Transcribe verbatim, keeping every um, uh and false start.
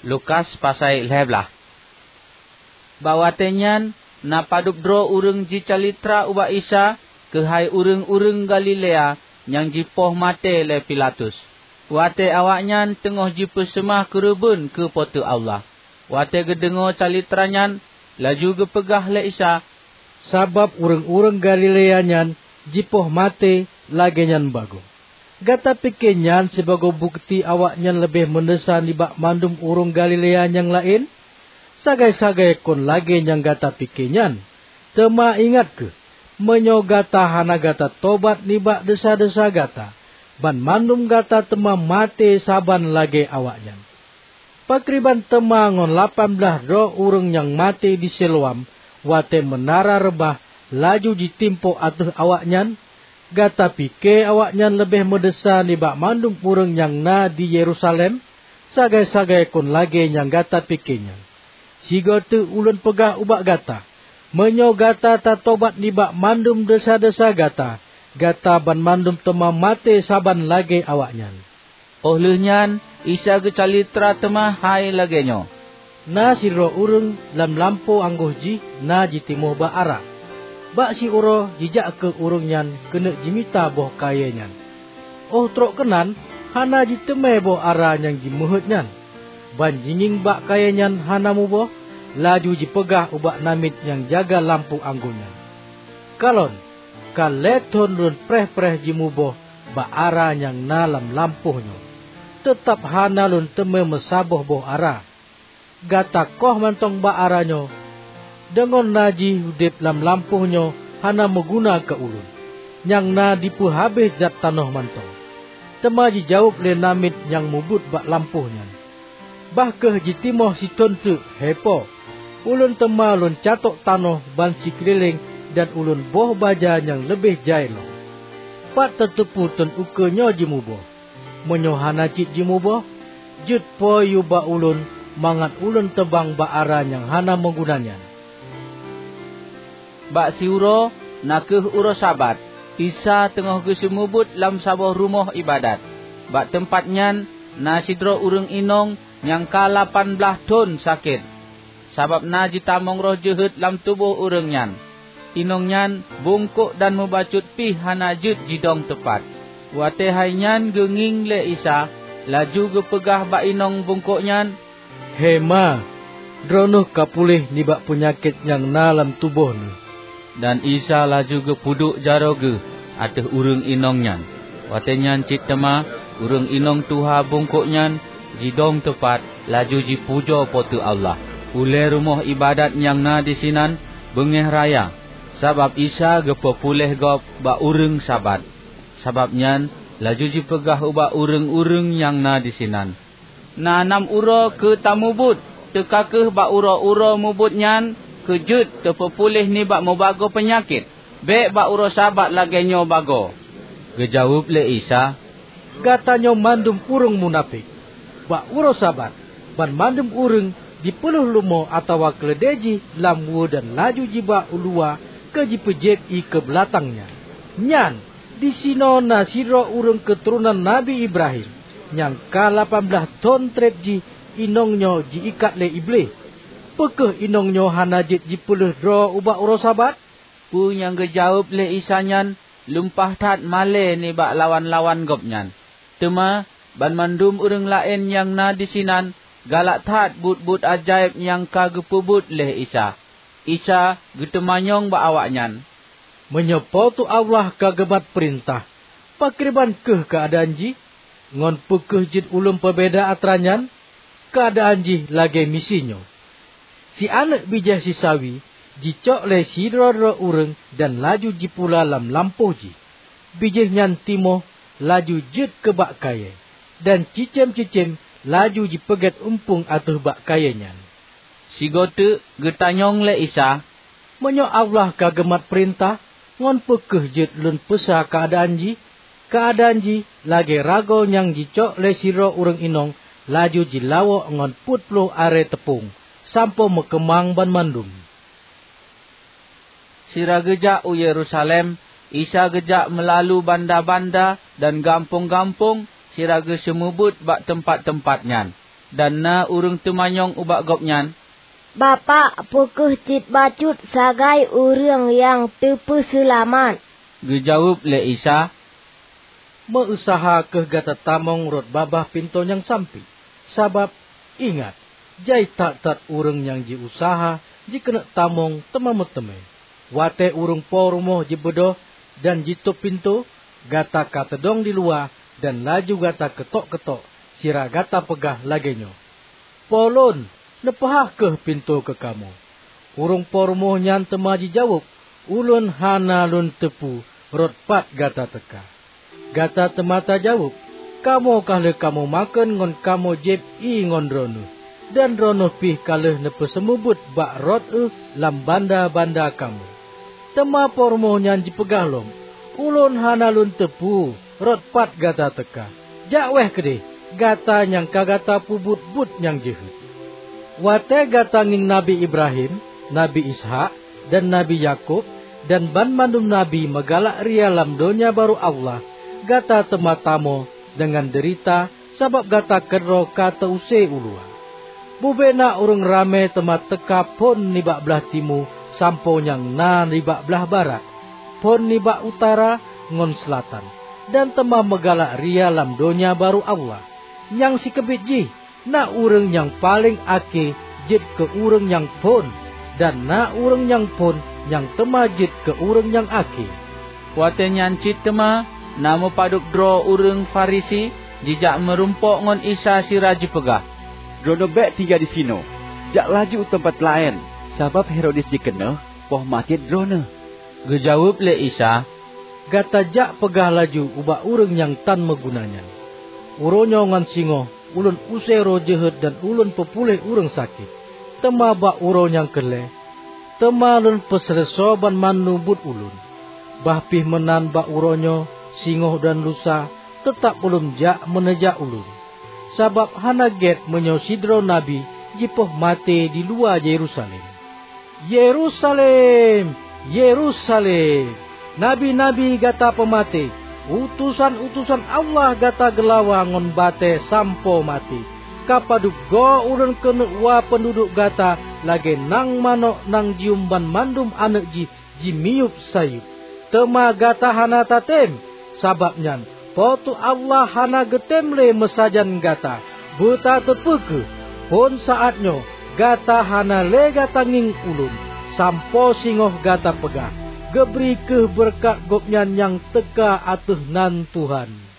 Lukas pasai lhée blaih. Bak watée nyan na padub droe ureuëng jicalitra ubak Isa keuhai ureuëng-ureuëng Galilea nyang jipoh maté lé Pilatus, watée awaknyan teungoh jipeuseumah keureubeuen keu Po teu Allah. Watée geudeungoe calitra nyan, laju geupeugah lé Isa, "Sabab ureuëng-ureuëng Galilea nyan jipoh maté lagée nyan bagoe. Gata pike nyan sibagoe bukeuti awaknyan leubeh meudesya nibak mandum ureuëng Galilea nyang laén? Sagai-sagai kon lagée nyang gata pike nyan! Teuma ingat kheueh, meunyoe gata hana gata tobat nibak desya-desya gata, banmandum gata teuma maté saban lagée awaknyan. Pakriban teuma ngon lapan blaih droe ureuëng nyang maté di Siloam watée meunara reubah laju jitimpok ateueh awaknyan? Gata pike awaknyan leubeh meudesya nibak mandum ureuëng nyang na di Yerusalem? Sagai-sagai kon lagée nyang gata pike nyan! Sigoe teuk Ulôn peugah ubak gata, meunyoe gata tatobat nibak mandum desya-desya gata, gata banmandum teuma maté saban lagée awaknyan." Óh lheueh nyan Isa geucalitra teuma hai lagée nyoe, "Na sidroe ureuëng lam lampôh anggôh jih na jitimoh ba ara. Bak siuroe jijak keuh ureuëng nyan keuneuk jimita boh kayée nyan. Óh trok keunan hana jiteumé boh ara nyang jimeuheuét nyan. Ban jingieng bak kayée nyan hana muboh, laju jipeugah ubak namiet nyang jaga lampôh anggô nyan, 'Kalon, ka lhée thon lôn preh-preh jimuboh bak ara nyang na lam lampôh nyoe, teutab hana lôn teumé meusaboh boh ara. Gata koh mantong bak ara nyoe, deungon na jih udeb lam lampôh nyoe hana meuguna keu ulôn, nyang na dipeuhabéh zat tanoh mantong.' Teuma jijaweueb lé namiet nyang mubuet bak lampôh nyan, 'Bah kheueh jitimoh sithon teuk, he po! Ulôn teuma lôn catok tanoh ban sikeulileng dan ulôn boh baja nyang leubeh jai lom. Pat tateupeue thon ukeue nyoe jimuboh? Meunyoe hana cit jimuboh, jeuet po yue bak ulôn mangat ulôn teubang bak ara nyang hana meuguna nyan.' Bak siuroe, na kheueh uroe Sabat, Isa teungoh geuseumeubeuet lam saboh rumoh iébadat. Bak teumpat nyan na sidroe ureuëng inong nyang ka lapan blaih thon sakét, sabab na jitamong roh jeuhet lam tuboh ureuëng nyan. Inong nyan bungkôk dan mubacut pih hana jeuet jidong teupat. Watée hai nyan geungieng lé Isa, laju geupeugah bak inong bungkôk nyan, "He ma, droeneueh ka puléh nibak peunyakét nyang na lam tuboh neuh." Dan Isa laju geupeuduek jaroe Geuh ateueh ureuëng inong nyan. Watée nyan cit teuma ureuëng inong tuha bungkôk nyan jidong teupat, laju jipujoe Po teu Allah. Ulée rumoh iébadat nyang na disinan beungéh raya, sabab Isa geupeupuléh gob bak ureuëng Sabat. Sabab nyan laju jipeugah ubak ureuëng-ureuëng nyang na disinan, "Na nam uroe keu tamubuet, teuka kheueh bak uroe-uroe mubuet nyan keu jeuet teupeupuléh nibak mubagoe peunyakét. Bék bak uroe Sabat lagée nyoe bagoe." Geujaweueb lé Isa, "Gata nyoe mandum ureuëng munafék! Bak uroe Sabat, banmandum ureuëng jipeulheueh lumoe atawa keuleudée jih lam weue dan laju jiba u luwa keu jipeujieb ié keu beulatang nyan. Nyan, disinoe na sidroe ureuëng keuturonan Nabi Ibrahim nyang ka lapan blaih thon treb jih inong nyoe ji-ikat lé Iblih. Peu kheueh inong nyoe hana jeuet jipeulheueh droe ubak uroe Sabat?" Peue nyang geujaweueb lé Isa nyan lumpah that malée nibak lawan-lawan Gobnyan. Teuma banmandum ureuëng laén nyang na disinan galak that buet-buet ajaéb nyang ka geupeubuet lé Isa. Isa geuteumanyong bak awaknyan, "Meunyoe Po teu Allah ka geumat peurintah, pakriban kheueh keuadaan jih? Ngon peu kheueh jeuet ulôn peubeda atra nyan? Keuadaan jih lagée miseue nyoe. Si aneuëk bijéh sisawi jicok lé sidroe-droe ureuëng dan laju jipula lam lampôh jih. Bijéh nyan timoh laju jeuet keu bak kayée, dan cicém-cicém laju jipeugét umpung ateueh bak kayée nyan." Sigoe teuk geutanyong lé Isa, "Meunyoe Allah ka geumat peurintah, ngon peu kheueh jeuet lôn peusa keuadaan jih? Keuadaan jih lagée ragoe nyang jicok lé sidroe ureuëng inong laju jilawok ngon peuet ploh arée teupông sampoe meukeumang banmandum." Sira geujak u Yerusalem, Isa geujak meulalu banda-banda dan gampông-gampông sira geuseumeubeuet bak teumpat-teumpat nyan. Dan na ureuëng teumanyong ubak Gobnyan, "Bapak, peu kheueh cit bacut sagai ureuëng nyang teupeuseulamat?" Geujaweueb lé Isa, "Meu-useuha kheueh gata tamong rot babah pintoe nyang sampék. Sabab, ingat, jai that-that ureuëng nyang jiuseuha jikeuneuk tamong teuma meuteumé. Watée ureuëng po rumoh jibeudôh dan jitôb pintoe, gata ka teudong di luwa dan laju gata keutok-keutok, sira gata peugah lagée nyoe, 'Po lôn, neupeuhah kheueh pintoe keu kamoe.' Ureuëng po rumoh nyan teuma jijaweueb, 'Ulôn hana lôn teupeu rot pat gata teuka.' Gata teuma tajaweueb, 'Kamoe ka lheueh kamoe makheun ngon kamoe jieb ié ngon droeneueh, dan droeneueh pih ka lheueh neupeuseumeubeuet bak rot ueh lam banda-banda kamoe.' Teuma po rumoh nyan jipeugah lom, 'Ulôn hana lôn teupeu rot pat gata teuka. Jak wéeh keudeh, gata nyang ka gata peubuet buet nyang jeuhet. Watée gata ngieng Nabi Ibrahim, Nabi Ishak, dan Nabi Yakub, dan banmandum nabi meugalak ria lam Donya Barô Allah, gata teuma tamoe deungon deurita sabab gata keudroe ka teu-use u luwa. Bubena ureuëng ramé teuma teuka phon nibak blaih timu sampoe nyang na nibak blaih barat, phon nibak utara ngon seulatan, dan teuma meugalak ria lam Donya Barô Allah. Nyang sikeubiet jih, na ureuëng nyang paleng akhé jeuet keu ureuëng nyang phon, dan na ureuëng nyang phon nyang teuma jeuet keu ureuëng nyang akhé." Watée nyan cit teuma na meupadub droe ureuëng Farisi jijak meurumpok ngon Isa sira jipeugah, "Droeneueh bék tinggai disinoe, jak laju u teumpat laén, sabab Herodes jikeuneuk poh maté droeneueh." Geujaweueb lé Isa, "Gata jak peugah laju ubak ureuëng nyang tan meuguna nyan, 'Uroe nyoe ngon singoh Ulôn use roh jeuhet dan Ulôn peupuléh ureuëng sakét. Teuma bak uroe nyang keu lhée, teuma Lôn peuseuleusoe banmandum buet Ulôn. Bah pih meunan bak uroe nyoe, singoh dan lusa, teutab Ulôn jak meuneujak Ulôn. Sabab hana gét meunyoe sidroe nabi jipoh maté di luwa Yerusalem." "Yerusalem, Yerusalem! Nabi-nabi gata peumaté, utosan-utosan Allah gata geulawa ngon batée sampoe maté! Ka padub goe Ulôn keuneuk wa peunduduek gata lagée nang manök nyang jiuem banmandum aneuëk jih jimiyueb sayeueb. Teuma gata hana tatem! Sabab nyan, Po teu Allah hana geutem lé meusajan gata. Beutateupeue kheueh, phon saát nyoe gata hana lé gata ngieng Ulôn, sampoe singoh gata peugah, 'Geubri kheueh beureukat Gobnyan nyang teuka ateueh nan Tuhan.'"